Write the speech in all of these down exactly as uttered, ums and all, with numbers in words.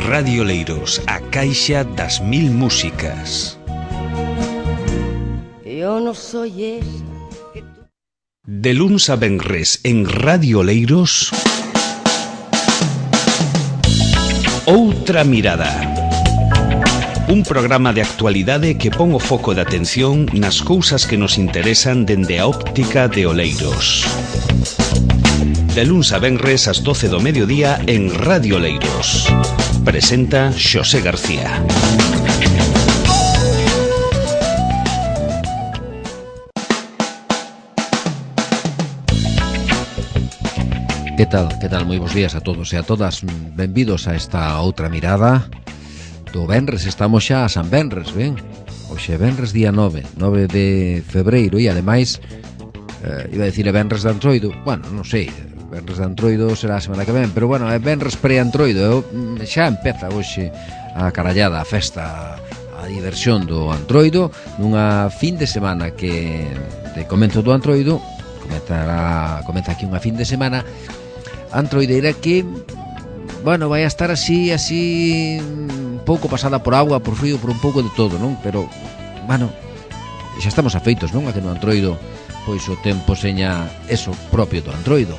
Radio Leiros, a caixa das mil músicas. Yo no soy esa. De luns a venres en Radio Leiros, Outra Mirada. Un programa de actualidade que pon o foco de atención nas cousas que nos interesan dende a óptica de Oleiros. De luns a venres ás doce do mediodía en Radio Leiros. Presenta Xosé García. Que tal, que tal? Moi bons días a todos e a todas. Benvidos a esta Outra Mirada. Do venres, estamos xa a San Venres, ben? Hoxe venres día nove, nove de febreiro e ademais eh, iba a dicir venres de Antroido. Bueno, non sei, venres de Antroido será a semana que ven, pero bueno, é venres pre-Antroido. Xa empeza hoxe a carallada, a festa, a diversión do Antroido, nunha fin de semana que de comenzo do Antroido comezará, comeza aquí unha fin de semana antroideira que, bueno, vai a estar así, así un pouco pasada por agua, por frío, por un pouco de todo, non? Pero, bueno, xa estamos afeitos, non? A que no Antroido, pois o tempo seña eso propio do Antroido.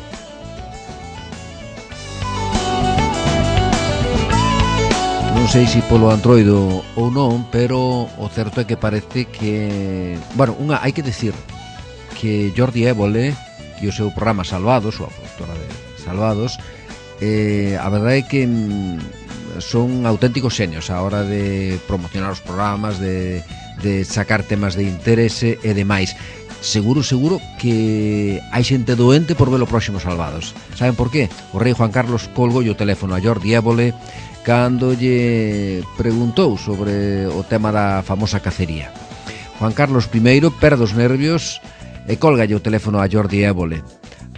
Non sei se polo Antroido ou non, pero o certo é que parece que... Bueno, unha, hai que decir que Jordi Évole e o seu programa Salvados, ou a productora de Salvados, eh, a verdade é que mm, son auténticos xenios a hora de promocionar os programas, de, de sacar temas de interese e demais. Seguro, seguro que hai xente doente por ver o próximo Salvados. Saben por qué? O rei Juan Carlos colgou o teléfono a Jordi Évole cando lle preguntou sobre o tema da famosa cacería. Juan Carlos primeiro perde os nervios e colgalle o teléfono a Jordi Évole.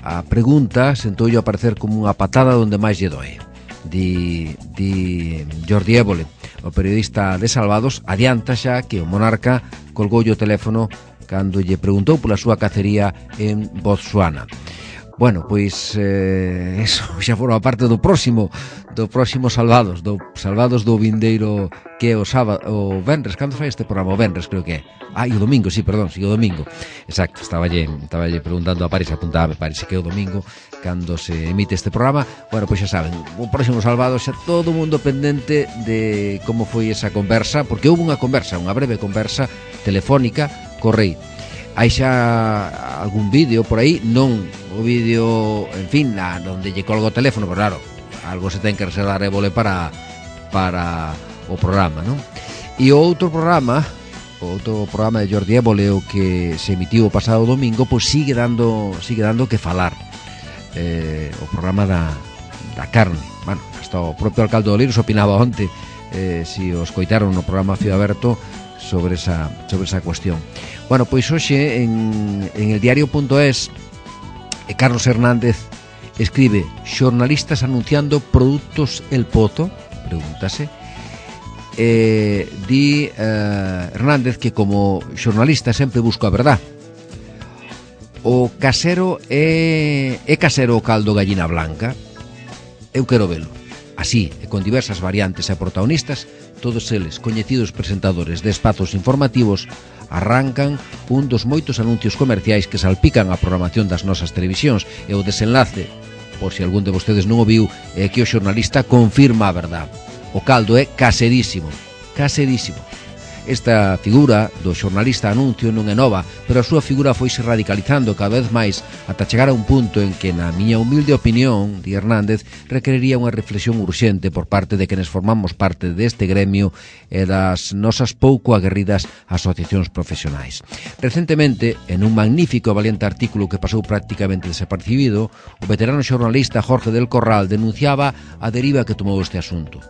A pregunta sentoulle a parecer como unha patada onde máis lle doe. Di, di Jordi Évole, o periodista de Salvados, adianta xa que o monarca colgoulle o teléfono cando lle preguntou pola súa cacería en Botsuana. Bueno, pois eh, eso xa forma parte do próximo do próximo Salvados, do Salvados do vindeiro que é o sábado, o venres, cando fai este programa? O venres, creo que é. Ah, e o domingo, sí, perdón, sí, o domingo. Exacto, estaba lle, estaba lle preguntando a Paris, apuntaba, parece que é o domingo cando se emite este programa. Bueno, pois xa saben, o próximo Salvados xa todo o mundo pendente de como foi esa conversa, porque houve unha conversa, unha breve conversa telefónica co rei. Hai xa algún vídeo por aí, non o vídeo, en fin, a donde lle colgo o teléfono, pero claro, algo se ten que reservar Évole para para o programa, non? E o outro programa, o outro programa de Jordi Évole, o que se emitiu o pasado domingo, pois sigue dando sigue dando que falar. Eh, o programa da, da carne. Bueno, hasta o propio alcalde de Oleiros opinaba onte, eh, si os coitaron no programa Ciudad Aberto, sobre esa, sobre esa cuestión. Bueno, pois hoxe en, en el diario.es Carlos Hernández escribe: xornalistas anunciando produtos El Pozo, pregúntase. Eh, di eh, Hernández que como xornalista sempre busco a verdad. O casero é, é casero o caldo gallina blanca. Eu quero velo así, e con diversas variantes e protagonistas, todos eles coñecidos presentadores de espazos informativos, arrancan un dos moitos anuncios comerciais que salpican a programación das nosas televisións, e o desenlace, por se algún de vostedes non o viu, é que o xornalista confirma a verdade. O caldo é caserísimo, caserísimo. Esta figura do xornalista anuncio non é nova, pero a súa figura foise radicalizando cada vez máis ata chegar a un punto en que, na miña humilde opinión, di Hernández, requeriría unha reflexión urxente por parte de quenes formamos parte deste gremio e das nosas pouco aguerridas asociacións profesionais. Recentemente, en un magnífico e valiente artículo que pasou prácticamente desapercibido, o veterano xornalista Jorge del Corral denunciaba a deriva que tomou este asunto.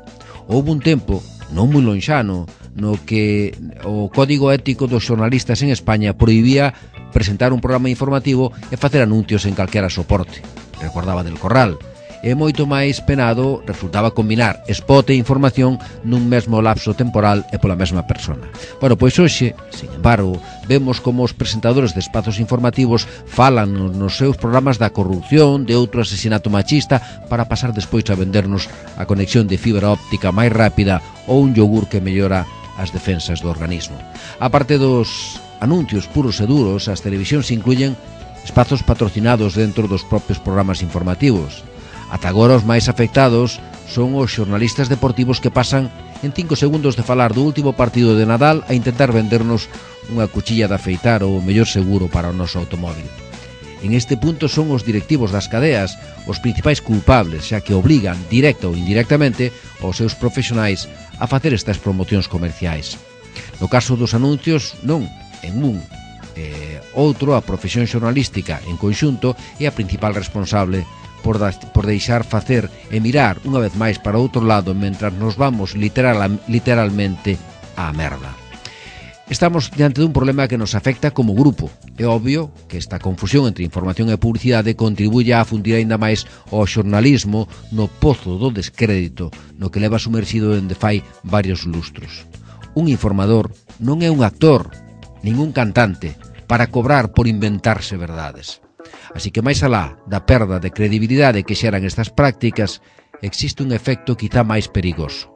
Houve un tempo, non moi lonxano, no que o Código Ético dos Xornalistas en España prohibía presentar un programa informativo e facer anuncios en calquera soporte. Recordaba del Corral. e moito máis penado resultaba combinar spot e información nun mesmo lapso temporal e pola mesma persona. Bueno, pois hoxe, sin embargo, vemos como os presentadores de espazos informativos falan nos seus programas da corrupción, de outro asesinato machista, para pasar despois a vendernos a conexión de fibra óptica máis rápida ou un yogur que mellora as defensas do organismo. A parte dos anuncios puros e duros, as televisións incluyen espazos patrocinados dentro dos propios programas informativos. Ata agora os máis afectados son os xornalistas deportivos que pasan en cinco segundos de falar do último partido de Nadal a intentar vendernos unha cuchilla de afeitar ou o mellor seguro para o noso automóvil. En este punto son os directivos das cadeas os principais culpables, xa que obligan, directa ou indirectamente, aos seus profesionais a facer estas promocións comerciais. No caso dos anuncios, non, en un eh, outro, a profesión xornalística en conxunto é a principal responsable por, da, por deixar facer e mirar unha vez máis para outro lado mentras nos vamos literal, literalmente á merda. Estamos diante dun problema que nos afecta como grupo. É obvio que esta confusión entre información e publicidade contribuye a fundir aínda máis o xornalismo no pozo do descrédito no que leva sumerxido dende fai varios lustros. Un informador non é un actor, nin un cantante, para cobrar por inventarse verdades. Así que máis alá da perda de credibilidade que xeran estas prácticas, existe un efecto quizá máis perigoso.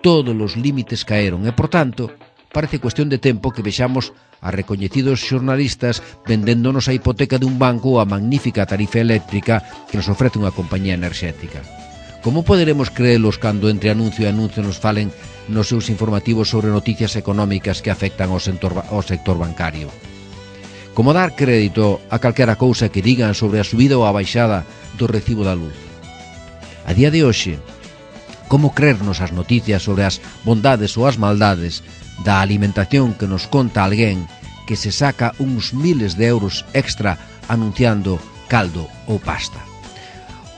Todos os límites caeron e, por tanto, parece cuestión de tempo que vexamos a recoñecidos xornalistas vendéndonos a hipoteca de un banco ou a magnífica tarifa eléctrica que nos ofrece unha compañía enerxética. Como poderemos creelos cando entre anuncio e anuncio nos falen nos seus informativos sobre noticias económicas que afectan ao sector, ao sector bancario? Como dar crédito a calquera cousa que digan sobre a subida ou a baixada do recibo da luz? A día de hoxe, como creernos as noticias sobre as bondades ou as maldades da alimentación que nos conta alguén que se saca uns miles de euros extra anunciando caldo ou pasta?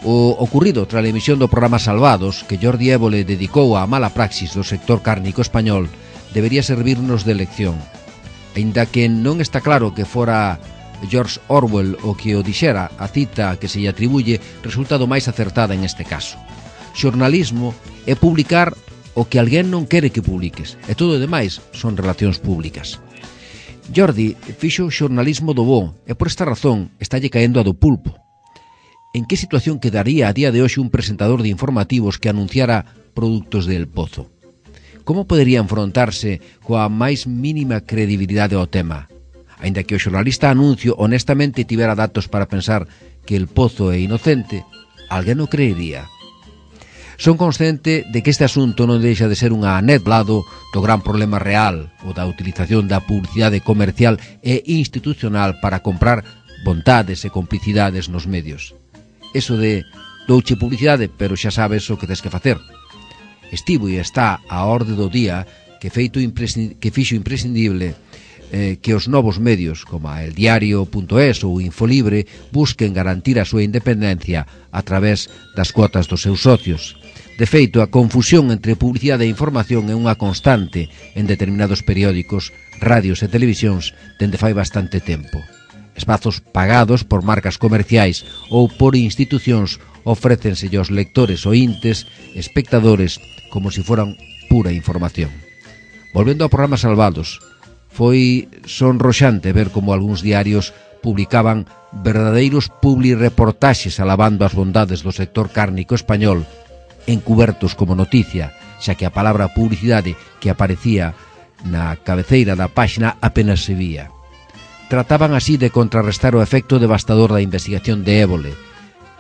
O ocurrido tras a emisión do programa Salvados, que Jordi Évole dedicou á mala praxis do sector cárnico español, debería servirnos de lección. Aínda que non está claro que fora George Orwell o que o dixera, a cita que se lle atribuye resulta do máis acertada en este caso. Xornalismo é publicar o que alguén non quere que publiques, e todo o demais son relacións públicas. Jordi fixo xornalismo do bo, e por esta razón estalle caendo a do pulpo. En que situación quedaría a día de hoxe un presentador de informativos que anunciara produtos del Pozo? Como podería enfrontarse coa máis mínima credibilidade ao tema? Aínda que o xornalista anuncio honestamente tivera datos para pensar que el Pozo é inocente, alguén o creería. Son consciente de que este asunto non deixa de ser unha aneblado do gran problema real o da utilización da publicidade comercial e institucional para comprar vontades e complicidades nos medios. Eso de douche publicidade, pero xa sabes o que tens que facer. Estivo e está a orde do día que feito que fixo imprescindible eh, que os novos medios como el diario punto es ou Infolibre busquen garantir a súa independencia a través das cuotas dos seus socios. De feito, a confusión entre publicidade e información é unha constante en determinados periódicos, radios e televisións dende fai bastante tempo. Espazos pagados por marcas comerciais ou por institucións ofrécense aos lectores ointes, espectadores, como se foran pura información. Volvendo ao programa Salvados, foi sonroxante ver como algúns diarios publicaban verdadeiros publireportaxes alabando as bondades do sector cárnico español, encubertos como noticia, xa que a palabra publicidade que aparecía na cabeceira da páxina apenas se vía. Trataban así de contrarrestar o efecto devastador da investigación de Évole.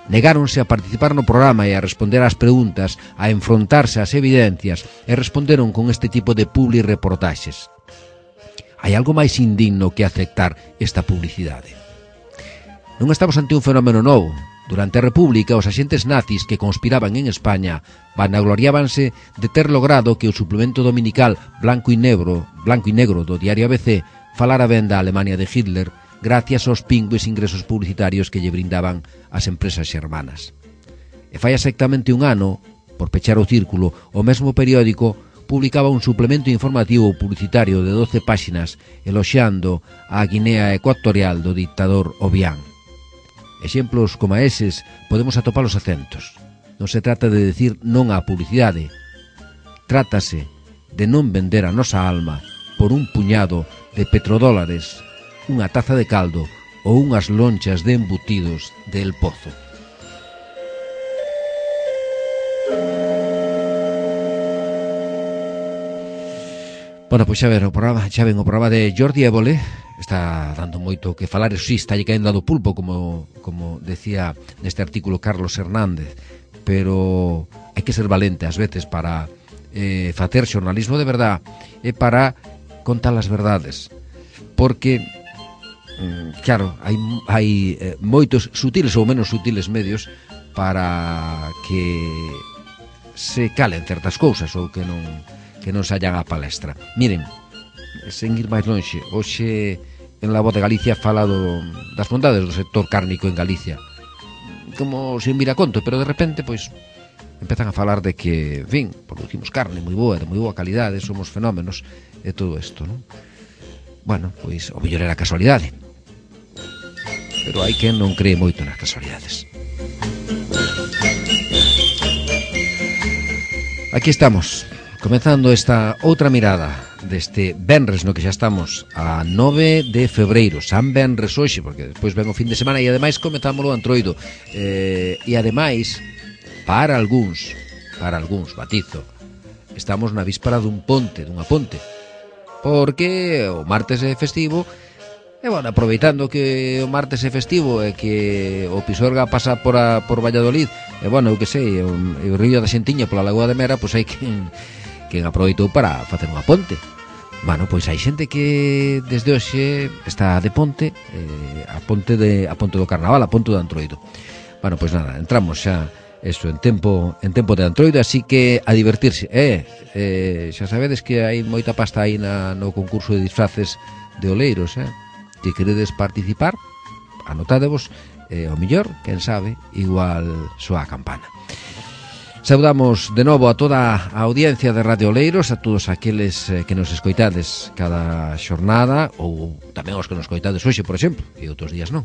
Negáronse a participar no programa e a responder ás preguntas, a enfrontarse ás evidencias e responderon con este tipo de publireportaxes. Hai algo máis indigno que aceptar esta publicidade. Non estamos ante un fenómeno novo. Durante a República, os axentes nazis que conspiraban en España vanagloriábanse de ter logrado que o suplemento dominical blanco e negro, blanco e negro do diario A B C falara ben da Alemania de Hitler gracias aos pingües ingresos publicitarios que lle brindaban as empresas xermanas. E fai exactamente un ano, por pechar o círculo, o mesmo periódico publicaba un suplemento informativo publicitario de doce páxinas eloxando a Guinea Ecuatorial do dictador Obiang. Exemplos como eses podemos atopalos a centos. non se trata de decir non á publicidade. Trátase de non vender a nosa alma por un puñado de petrodólares, unha taza de caldo ou unhas lonchas de embutidos de El Pozo. Bueno, pois xa ven o programa, xa ven o programa de Jordi Évole, está dando moito que falar, eso sí, está lle caendo do pulpo, como, como decía neste artículo Carlos Hernández, pero hai que ser valente ás veces para eh, facer xornalismo de verdad e para contar as verdades, porque claro, hai, hai eh, moitos sutiles ou menos sutiles medios para que se calen certas cousas ou que non que non sallan á palestra. Miren, sen ir máis lonxe, hoxe en La Voz de Galicia fala do, das bondades do sector cárnico en Galicia, como se mira conto, pero de repente pois empezan a falar de que, en fin, producimos carne moi boa, de moi boa calidade, somos fenómenos e todo isto, non? Bueno, pois o mellor era casualidade, pero hai quen non cree moito nas casualidades. Aquí estamos, comenzando esta outra mirada deste venres no que xa estamos a nove de febreiro, San Venres hoxe, porque despois ven o fin de semana e ademais comezámoslo antroido eh, e ademais para algúns para algúns, batizo, estamos na víspera dun ponte, dunha ponte, porque o martes é festivo. E, bueno, aproveitando que o martes é festivo e que o Pisuerga pasa por, a, por Valladolid, e, bueno, eu que sei, o, o río da Xentiña pola Lagoa de Mera, pois hai quen, quen aproveitou para facer unha ponte. Bueno, pois hai xente que desde hoxe está de ponte, eh, a ponte de a ponte do Carnaval, a ponte do Antroido. Bueno, pois nada, entramos xa eso en tempo en tempo de Antroido, así que a divertirse. Eh, eh, xa sabedes que hai moita pasta aí na, no concurso de disfraces de oleiros, eh? Que queredes participar, anotádevos, eh, o mellor, quen sabe, igual soa a campana. Saudamos de novo a toda a audiencia de Radio Oleiros, a todos aqueles eh, que nos escoitades cada xornada, ou tamén os que nos escoitades hoxe, por exemplo, e outros días non.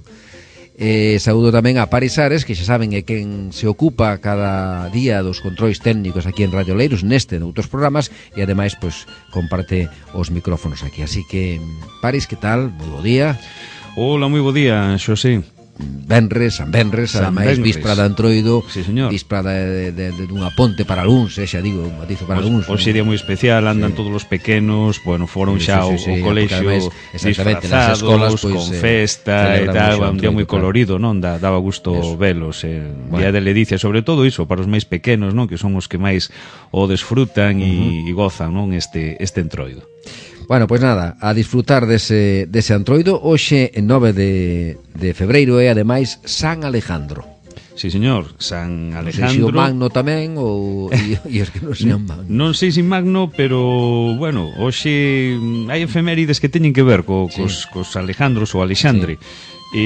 Eh, saúdo tamén a Paris Ares, que xa saben é quen se ocupa cada día dos controis técnicos aquí en Radio Oleiros, neste e noutros programas, e ademais pois comparte os micrófonos aquí. Así que, Paris, que tal? Moi bo día. Hola, moi bo día, Xosé. Venres, San Venres, ademais víspera de Antroido, sí, señor. Víspera de, de, de, de unha ponte para algúns, eh, xa digo, un matizo para algúns. Hoxe día moi especial, andan sí. todos os pequenos, bueno, foron sí, xa sí, sí, o, sí, o colexio disfrazados, escolas, pues, con eh, festa e tal, un día moi colorido, non? Da, daba gusto eso. Velos, eh, bueno. Día de ledicia, sobre todo iso, para os máis pequenos, non? Que son os que máis o desfrutan e uh-huh. gozan, non? Este, este Entroido. Bueno, pois pues nada, a disfrutar dese, dese Antroido. Hoxe, en nove de, de febreiro, é ademais San Alejandro. Sí, señor, San Alejandro. Non sei se o Magno tamén ou e os que non sean Magno. Non sei se Magno, pero bueno, hoxe hai efemérides que teñen que ver co, sí. cos, cos Alejandros ou Alexandre. Sí. E,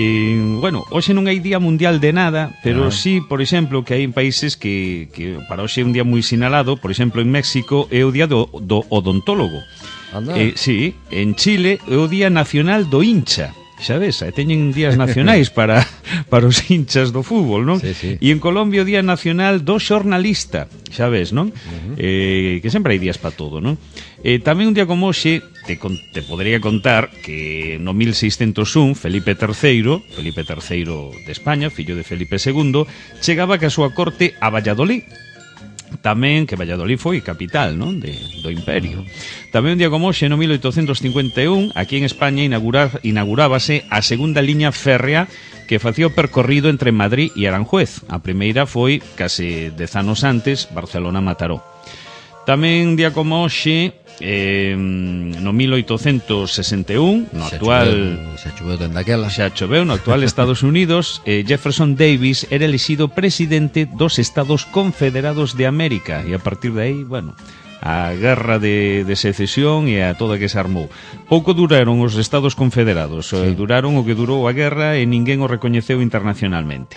bueno, hoxe non hai día mundial de nada, pero ah. sí, por exemplo, que hai países que, que para hoxe é un día moi sinalado. Por exemplo, en México é o día do, do odontólogo. Eh, sí, en Chile é o Día Nacional do Hincha. Xa ves, teñen días nacionais para, para os hinchas do fútbol, non? Sí, sí. E en Colombia o Día Nacional do Xornalista, xa ves, non? Uh-huh. Eh, que sempre hai días para todo, non? Eh, tamén un día como hoxe te, te podría contar que no mil seiscentos un Felipe terceiro, Felipe terceiro de España, fillo de Felipe segundo, chegaba ca súa corte a Valladolid. Tamén que Valladolid foi capital, non? De, do imperio. Tamén un día como hoxe, no mil oitocentos cincuenta e un, aquí en España inaugurar, inaugurábase a segunda liña férrea que facía o percorrido entre Madrid e Aranjuez. A primeira foi case dez anos antes, Barcelona-Mataró. Tamén un día como hoxe, eh, no mil oitocentos sesenta e un, no xa actual choveu, xa choveu dende aquela. Xa choveu no actual Estados Unidos, eh, Jefferson Davis era elixido presidente dos Estados Confederados de América, e a partir de aí, bueno, a guerra de, de secesión e a toda que se armou. Pouco duraron os Estados Confederados, sí. Duraron o que durou a guerra e ninguén o recoñeceu internacionalmente.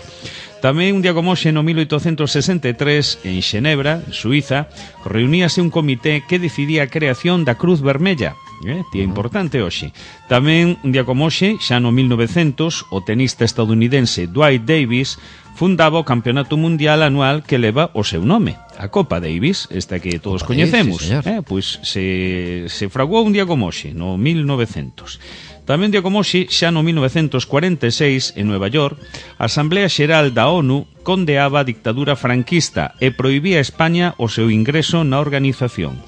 Tamén un día como hoxe, no mil oitocentos sesenta e tres, en Xenebra, en Suiza, reuníase un comité que decidía a creación da Cruz Vermella. eh? Día importante hoxe. Tamén, un día como hoxe, xa no mil novecientos, o tenista estadounidense Dwight Davis fundaba o campeonato mundial anual que leva o seu nome, a Copa Davis, esta que todos Copa coñecemos. Davis, sí, eh? Pois se, se fraguou un día como hoxe, no mil novecientos. Tamén un día como hoxe, xa no mil novecientos cuarenta e seis, en Nueva York, a Asamblea Xeral da ONU condeaba a dictadura franquista e prohibía a España o seu ingreso na organización.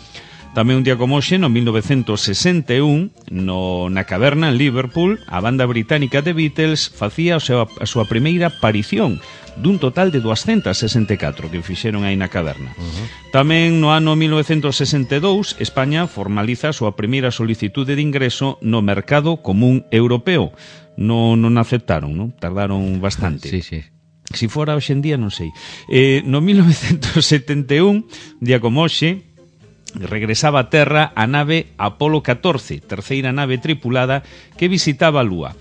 Tamén un día como hoxe, no mil novecientos sesenta e un, no, na caverna en Liverpool, a banda británica The Beatles facía o seu, a súa primeira aparición dun total de doscientos sesenta e catro que fixeron aí na caverna. Uh-huh. Tamén no ano mil novecientos sesenta e dous, España formaliza a súa primeira solicitude de ingreso no mercado común europeo. Non, non aceptaron, non? Tardaron bastante. Sí, sí. Si fora hoxe en día, non sei. Eh, no mil novecientos setenta e un, día como hoxe, regresaba a Terra a nave Apolo catorce, terceira nave tripulada que visitaba a Lúa.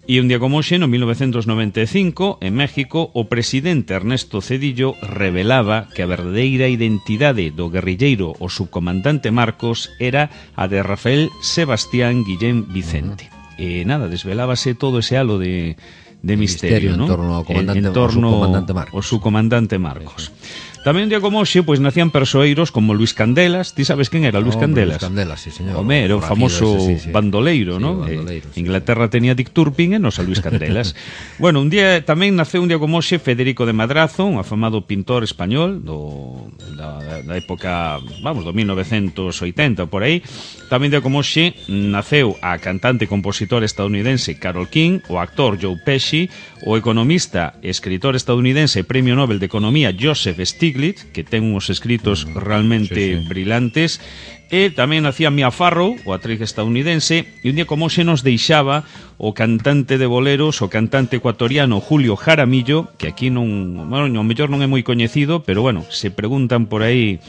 E un día como hoxe, no mil novecientos noventa e cinco, en México, o presidente Ernesto Zedillo revelaba que a verdadeira identidade do guerrilleiro o subcomandante Marcos era a de Rafael Sebastián Guillén Vicente. Uh-huh. E nada, desvelábase todo ese halo de, de misterio, misterio, ¿no? En torno ao comandante, en, en torno ao subcomandante Marcos. O subcomandante Marcos. Sí, sí. Tamén un día como hoxe, pois nacían persoeiros como Luis Candelas. Ti sabes quen era Luis oh, Candelas? Luis Candelas, sí, señor. Home, era o famoso ese, sí, sí. bandoleiro, sí, ¿no? Bandoleiro, eh, Inglaterra sí. Tenía Dick Turpin e nos a Luis Candelas. Bueno, un día tamén naceu un día como hoxe Federico de Madrazo, un afamado pintor español do, da, da época, vamos, do mil novecientos oitenta, por aí. Tamén un día como hoxe naceu a cantante e compositora estadounidense Carole King, o actor Joe Pesci, o economista e escritor estadounidense Premio Nobel de Economía Joseph Stiglitz, que ten uns escritos realmente sí, sí. brillantes. E tamén nacía Mia Farrow, o actriz estadounidense, e un día como hoxe nos deixaba o cantante de boleros, o cantante ecuatoriano Julio Jaramillo, que aquí non, bueno, o mellor non é moi coñecido, pero bueno, se preguntan por aí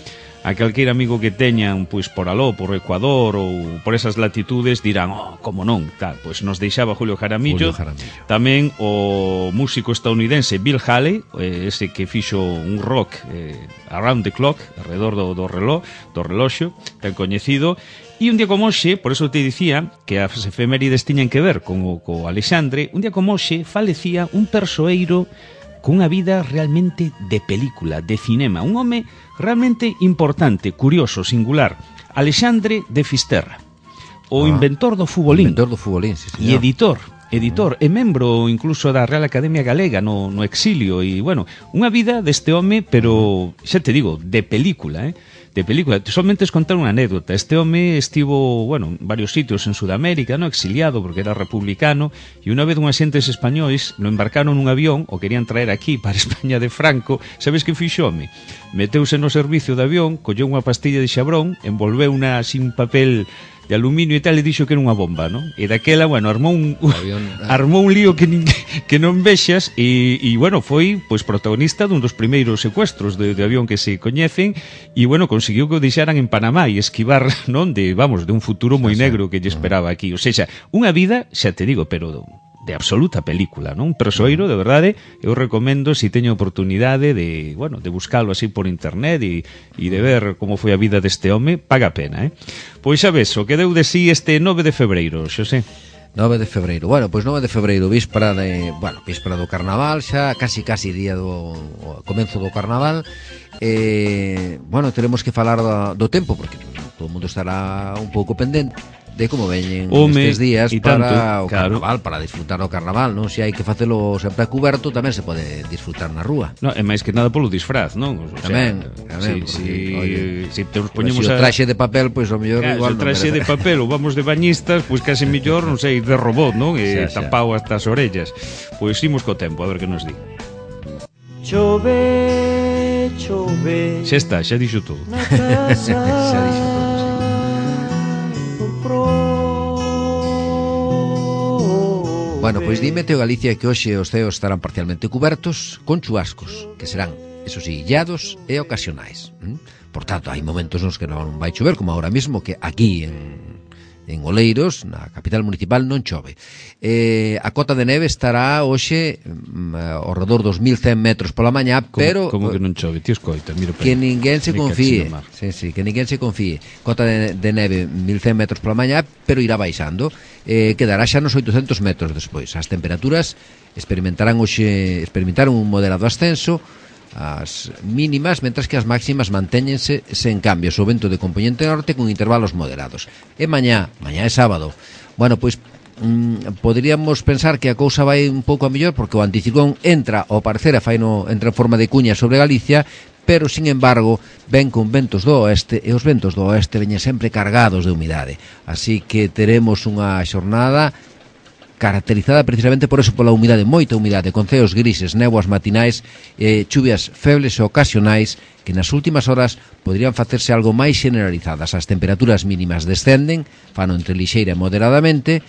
a calqueira amigo que teñan pois por aló, por Ecuador ou por esas latitudes dirán, oh, como non, tal, pois nos deixaba Julio Jaramillo. Julio Jaramillo. Tamén o músico estadounidense Bill Haley, eh, ese que fixo un rock eh, around the clock, alrededor do, do reloj, do reloxo, tan coñecido. E un día como hoxe, por eso te dicía que as efemérides tiñan que ver con o co Alexandre, un día como hoxe falecía un persoeiro cunha vida realmente de película, de cinema, un home realmente importante, curioso, singular, Alexandre de Fisterra, o ah, inventor do futbolín, inventor do futbolín, sí, e editor, editor, e membro incluso da Real Academia Galega no, no exilio, e bueno, unha vida deste home, pero xa te digo, de película, eh? de película. Solmente es contar unha anécdota. Este home estivo, bueno, en varios sitios en Sudamérica, no exiliado porque era republicano, e unha vez unhas xentes españois lo embarcaron nun avión, o querían traer aquí para España de Franco. Sabes que fixo home? Meteuse no servicio de avión, colleu unha pastilla de xabrón, envolveu unha sin papel de aluminio e tal, e dixo que era unha bomba, non? E daquela, bueno, armou un avión, armou un lío que nin, que non vexas, e, e bueno, foi pois protagonista dun dos primeiros secuestros de, de avión que se coñecen, e bueno, conseguiu que o deixaran en Panamá e esquivar, non, de, vamos, de un futuro moi negro que lle esperaba aquí. O sea, unha vida, xa te digo, pero de absoluta película, non? Un persoeiro, de verdade, eu recomendo, se si teño oportunidade de, bueno, de buscalo así por internet e, e de ver como foi a vida deste home, paga a pena, eh? Pois xa ves, o que deu de sí este nove de febreiro, Xosé. nove de febreiro. Bueno, pois nove de febreiro, víspera de, bueno, víspera do carnaval, xa casi casi día do o comenzo do carnaval. Eh, bueno, teremos que falar do, do tempo porque todo o mundo estará un pouco pendente de como veñen Home, estes días para tanto, o carnaval, claro. Para disfrutar do carnaval, non? Se hai que facelo sempre a cuberto, tamén se pode disfrutar na rúa. No, é máis que nada polo disfraz, non? O tamén, sea, tamén. Si, si, oye, si te nos poñemos a... o traxe de papel, pois o mellor claro, igual o traxe de papel ou vamos de bañistas, pois case mellor, non sei, de robot, non? E xa, tapado hasta as orellas. Pois imos co tempo, a ver que nos di. Chove, chove. Xa está, xa dixo todo. Xa dixo todo. Bueno, pois dime, Teo Galicia, que hoxe os ceos estarán parcialmente cubertos con chubascos, que serán, eso sí, illados e ocasionais. ¿Mm? Por tanto, hai momentos nos que non vai chover, como ahora mismo, que aquí en, en Oleiros, na capital municipal, non chove. Eh, a cota de neve estará hoxe mm, ao redor dos mil cen metros pola mañá, pero... Como que non chove? Tío, escoita, mira que ninguén se confíe. Sí, sí, que ninguén se confíe. Cota de, de neve mil cen metros pola mañá, pero irá baixando. Eh, quedará xa nos oitocentos metros despois. As temperaturas experimentarán hoxe, experimentaron un moderado ascenso, as mínimas, mentras que as máximas mantéñense sen cambios, o vento de componente norte con intervalos moderados. E mañá, mañá é sábado, bueno, pois mm, poderíamos pensar que a cousa vai un pouco a mellor, porque o anticiclón entra, ao parecer, a faino entra en forma de cuña sobre Galicia, pero, sin embargo, ven con ventos do oeste, e os ventos do oeste veñen sempre cargados de humidade, así que teremos unha xornada caracterizada precisamente por eso, pola humidade, moita humidade, con ceos grises, néboas matinais, eh, chuvias febles e ocasionais que nas últimas horas poderían facerse algo máis generalizadas. As temperaturas mínimas descenden, fano entre lixeira e moderadamente,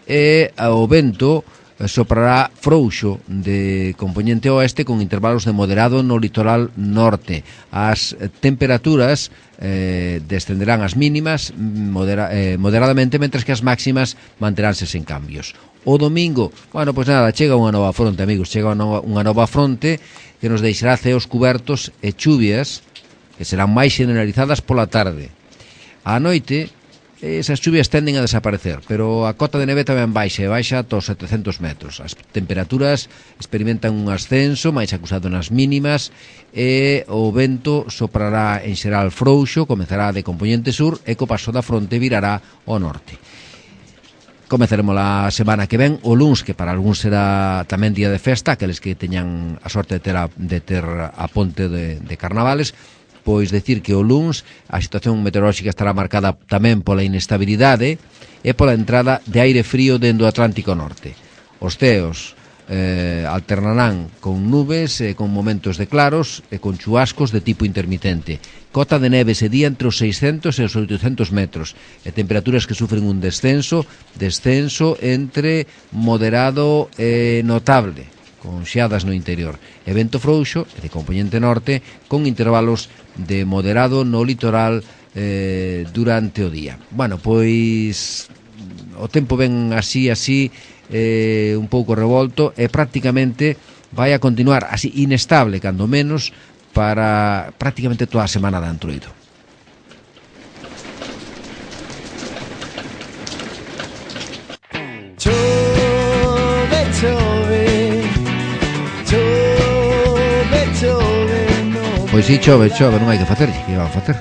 e o vento soprará frouxo de componente oeste con intervalos de moderado no litoral norte. As temperaturas eh, descenderán as mínimas modera, eh, moderadamente, mentres que as máximas manteránse sen cambios. O domingo, bueno, pois nada, chega unha nova fronte, amigos, chega unha nova, unha nova fronte que nos deixará ceos cubertos e chuvias que serán máis generalizadas pola tarde. A noite, esas chuvias tenden a desaparecer, pero a cota de neve tamén baixa, e baixa ata os setecentos metros. As temperaturas experimentan un ascenso máis acusado nas mínimas, e o vento soprará en xeral frouxo, comezará de componente sur e co paso da fronte virará ao norte. Comezaremos a semana que ven, o luns, que para algúns será tamén día de festa, aqueles que teñan a sorte de ter a, de ter a ponte de, de carnavales, pois decir que o luns a situación meteorolóxica estará marcada tamén pola inestabilidade e pola entrada de aire frío dende o Atlántico Norte. Os ceos eh, alternarán con nubes e con momentos de claros e con chuascos de tipo intermitente. Cota de neve ese día entre os seiscentos e os oitocentos metros e temperaturas que sufren un descenso, descenso entre moderado e notable, con xeadas no interior, e vento frouxo e de componente norte con intervalos de moderado no litoral eh, durante o día. Bueno, pois o tempo ven así, así, eh, un pouco revolto, e prácticamente vai a continuar así inestable, cando menos, para prácticamente toda a semana de Antroido. Chove, chove, chove, chove, no. Pois si, chove, chove, non hai que facer, que van a facer.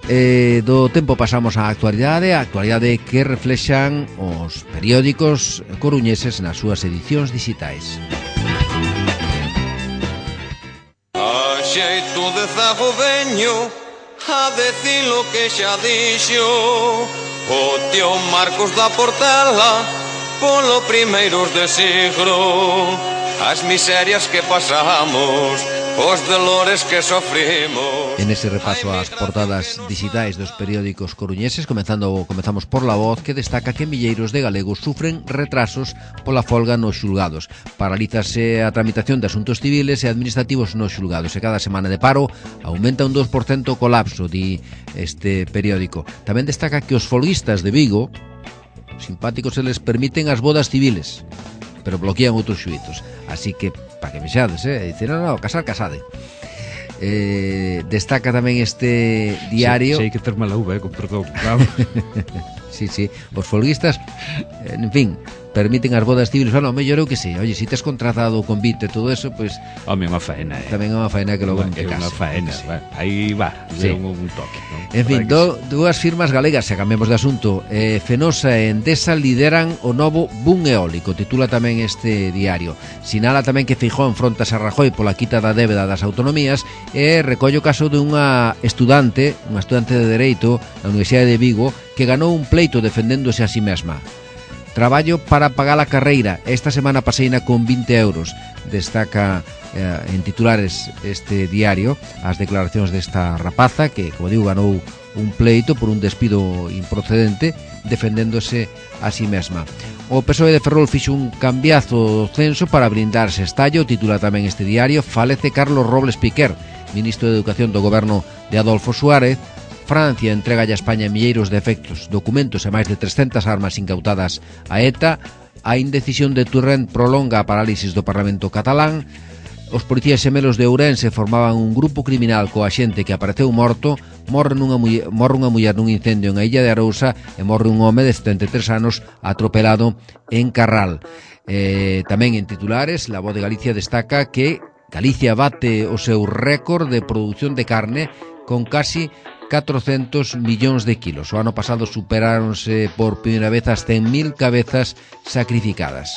Eh, do tempo pasamos á actualidade, a actualidade que reflexan os periódicos coruñeses nas súas edicións digitais. Xeito de zago veño a decir lo que xa dixo o tío Marcos da Portela polo primeiros de siglo, as miserias que pasamos, os dolores que sofrimos. En ese repaso ás portadas digitais dos periódicos coruñeses, comenzando comezamos por La Voz, que destaca que milleiros de galegos sufren retrasos pola folga nos xulgados. Paralízase a tramitación de asuntos civiles e administrativos nos xulgados, e cada semana de paro aumenta un dos por cento o colapso, di este periódico. Tamén destaca que os folguistas de Vigo, simpáticos, se les permiten as bodas civiles, pero bloquean outros xuízos. Así que, para que vexades, eh? Dicen, non, non, casar, casade. Eh, destaca tamén este diario... Se, se hai que ter mala uva, eh, con perdón. Vamos. Sí, sí, os folguistas, en fin, permiten as bodas civiles. Bueno, mellor eu que sei, oye, se si tes contratado o convite e todo eso, pois... Pues, home, unha faena, eh. Tamén é unha faena que logo non te casa. É unha faena, sí. Va, aí va, sí. Un, un toque, ¿no? En fin, do, dúas firmas galegas, se cambiamos de asunto, eh, Fenosa e Endesa lideran o novo boom eólico, titula tamén este diario. Sinala tamén que Feijóo enfrontas a Rajoy pola quita da débeda das autonomías e recolle o caso dunha estudante, unha estudante de Dereito na Universidade de Vigo, que ganou un pleito defendéndose a si mesma. Traballo para pagar a carreira. Esta semana paseina con vinte euros. Destaca eh, en titulares este diario as declaracións desta rapaza que, como digo, ganou un pleito por un despido improcedente defendéndose a si mesma. O P S O E de Ferrol fixo un cambiazo do censo para brindarse estallo, titula tamén este diario. Falece Carlos Robles Piquer, ministro de Educación do goberno de Adolfo Suárez. Francia entrega a España milleiros de efectos, documentos e máis de trescentas armas incautadas a ETA. A indecisión de Torrent prolonga a parálisis do Parlamento catalán. Os policías xemelos de Ourense formaban un grupo criminal coa xente que apareceu morto. Morre, nunha muller, morre unha muller nun incendio en a Illa de Arousa e morre un home de setenta e tres anos atropelado en Carral. Eh, tamén en titulares, La Voz de Galicia destaca que Galicia bate o seu récord de produción de carne con casi catrocentos millóns de kilos. O ano pasado superáronse por primeira vez as cen mil cabezas sacrificadas.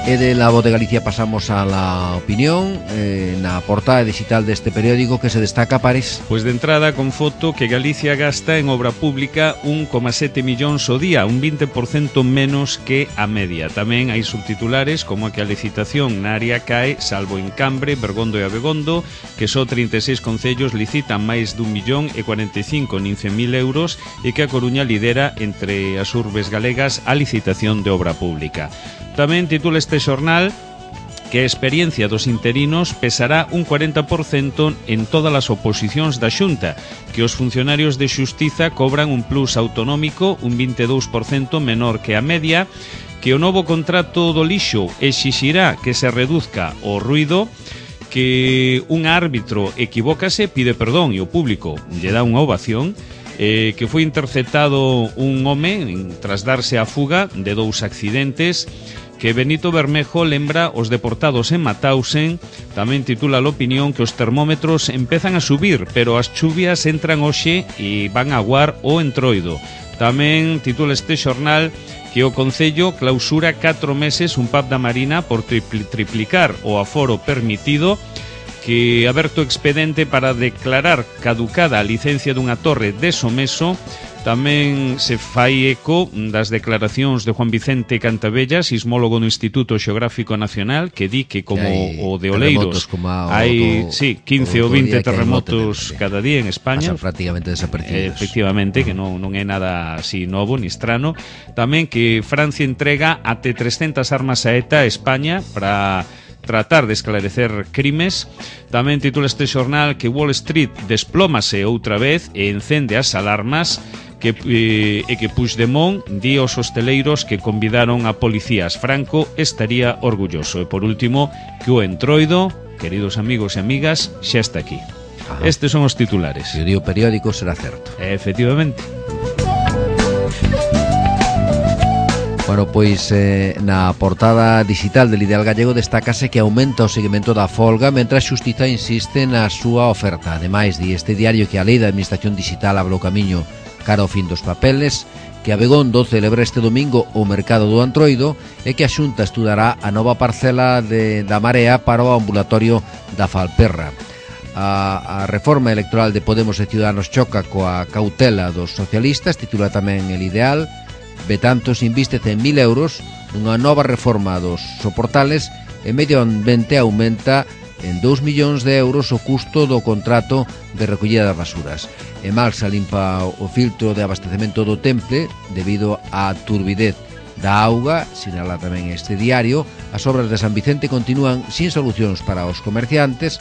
E de La Voz de Galicia pasamos a La Opinión, eh, na portada digital deste periódico que se destaca, Pares. Pois de entrada con foto que Galicia gasta en obra pública un coma sete millóns ao día, un vinte por cento menos que a media. Tamén hai subtitulares como que a licitación na área cae, salvo en Cambre, Bergondo e Abegondo, que só trinta e seis concellos licitan máis dun millón e cuarenta e cinco nin cen mil euros e que a Coruña lidera entre as urbes galegas a licitación de obra pública. Tamén titula este xornal que a experiencia dos interinos pesará un cuarenta por cento en todas as oposicións da Xunta, que os funcionarios de Xustiza cobran un plus autonómico un vinte e dous por cento menor que a media, que o novo contrato do lixo exixirá que se reduzca o ruido, que un árbitro equivócase, pide perdón e o público lle dá unha ovación, eh, que foi interceptado un home tras darse a fuga de dous accidentes, que Benito Bermejo lembra os deportados en Matausen. Tamén titula a Opinión que os termómetros empezan a subir, pero as chuvias entran hoxe e van a aguar o Entroido. Tamén titula este xornal que o Concello clausura catro meses un pub da Marina por tripl- triplicar o aforo permitido, que aberto expedente para declarar caducada a licencia dunha torre de Someso. Tamén se fai eco das declaracións de Juan Vicente Cantabella, sismólogo do Instituto Xeográfico Nacional, que di que como hai o de Oleiros hai sí, quince ou vinte terremotos cada día en España, pasan prácticamente desapercibidos. Efectivamente, que non, non é nada así novo ni estrano. Tamén que Francia entrega até trescentas armas a ETA a España para tratar de esclarecer crimes. Tamén titula este xornal que Wall Street desplómase outra vez e encende as alarmas, que, eh, e que Puigdemont di aos hosteleiros que convidaron a policías. Franco estaría orgulloso. E por último, que o Entroido, queridos amigos e amigas, xa está aquí. Ajá. Estes son os titulares. Se o dio periódico será certo. Efectivamente. Bueno, pois eh, na portada digital del Ideal Gallego destácase que aumenta o seguimento da folga mentre a Xustiza insiste na súa oferta. Ademais, di este diario que a Lei da Administración Digital abre o camiño cara ao fin dos papeles, que Abegondo celebra este domingo o mercado do Antroido e que a Xunta estudará a nova parcela de, da Marea para o ambulatorio da Falperra. A, a reforma electoral de Podemos e Ciudadanos choca coa cautela dos socialistas, titula tamén El Ideal. Betantos inviste cen mil euros nunha nova reforma dos soportales e Medio Ambiente aumenta en dous millóns de euros o custo do contrato de recollida das basuras. E Malsa limpa o filtro de abastecemento do Temple debido á turbidez da auga, sinala tamén este diario. As obras de San Vicente continúan sin solucións para os comerciantes.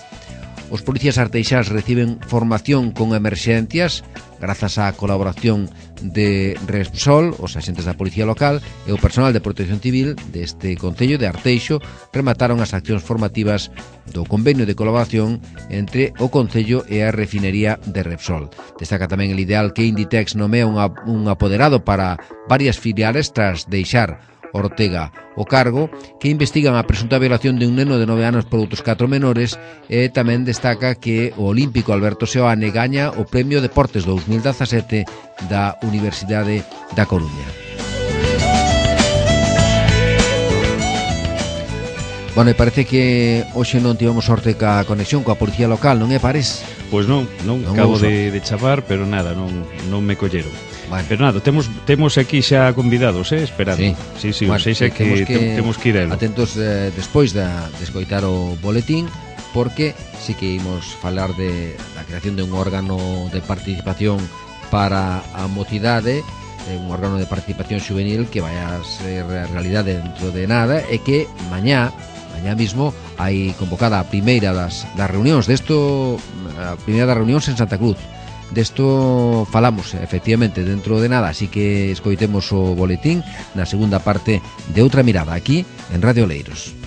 Os policías arteixáns reciben formación con emerxencias grazas á colaboración de Repsol, os axentes da Policía Local e o personal de Protección Civil deste Concello de Arteixo remataron as accións formativas do convenio de colaboración entre o Concello e a refinería de Repsol. Destaca tamén El Ideal que Inditex nomea un, un apoderado para varias filiales tras deixar Ortega o cargo, que investigan a presunta violación de un neno de nove anos por outros catro menores, e tamén destaca que o olímpico Alberto Seoane gaña o Premio Deportes dous mil dezasete da Universidade da Coruña. Bueno, e parece que hoxe non tivemos sorte ca conexión coa Policía Local, non é, Pares? Pois non, non, non acabo de, de chavar, pero nada, non, non me colleron. Bueno. Pero nada, temos temos aquí xa convidados, eh, esperando. Sí, sí, sí bueno, sei xa que, temos que, temos que ir a atentos eh, despois da, de escoitar o boletín, porque sí que imos falar de da creación de un órgano de participación para a mocidade, un órgano de participación juvenil que vai a ser realidade dentro de nada, e que mañá mañá mismo hai convocada a primeira das, das reunións. Desto a primeira das reunións en Santa Cruz. Desto falamos efectivamente dentro de nada, así que escoitemos o boletín na segunda parte de Outra Mirada aquí en Radio Oleiros.